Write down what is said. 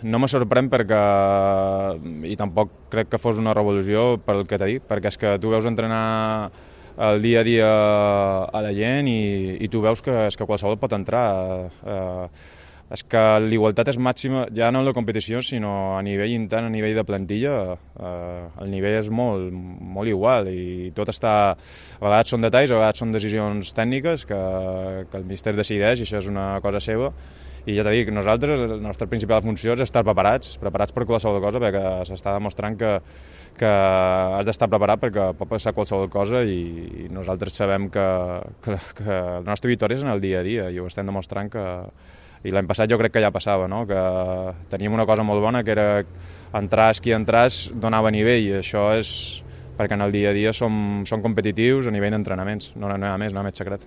No me sorprèn perquè, i tampoc crec que fos una revolució pel que t'he dit, perquè és que tu veus entrenar el dia a dia a la gent i tu veus que, és que qualsevol pot entrar. És que l'igualtat és màxima, ja no en la competició, sinó a nivell intern, a nivell de plantilla, el nivell és molt, molt igual i tot està... A vegades són detalls, a vegades són decisions tècniques que el míster decideix i això és una cosa seva. I ja t'he dit, nosaltres, la nostra principal funció és estar preparats per qualsevol cosa, perquè s'està demostrant que has d'estar preparat perquè pot passar qualsevol cosa i nosaltres sabem que la nostra victòria és en el dia a dia i ho estem demostrant que... I l'any passat jo crec que ja passava, no? Que teníem una cosa molt bona, que era entràs qui entràs donava nivell, i això és perquè en el dia a dia som competitius a nivell d'entrenaments, no hi ha més secret.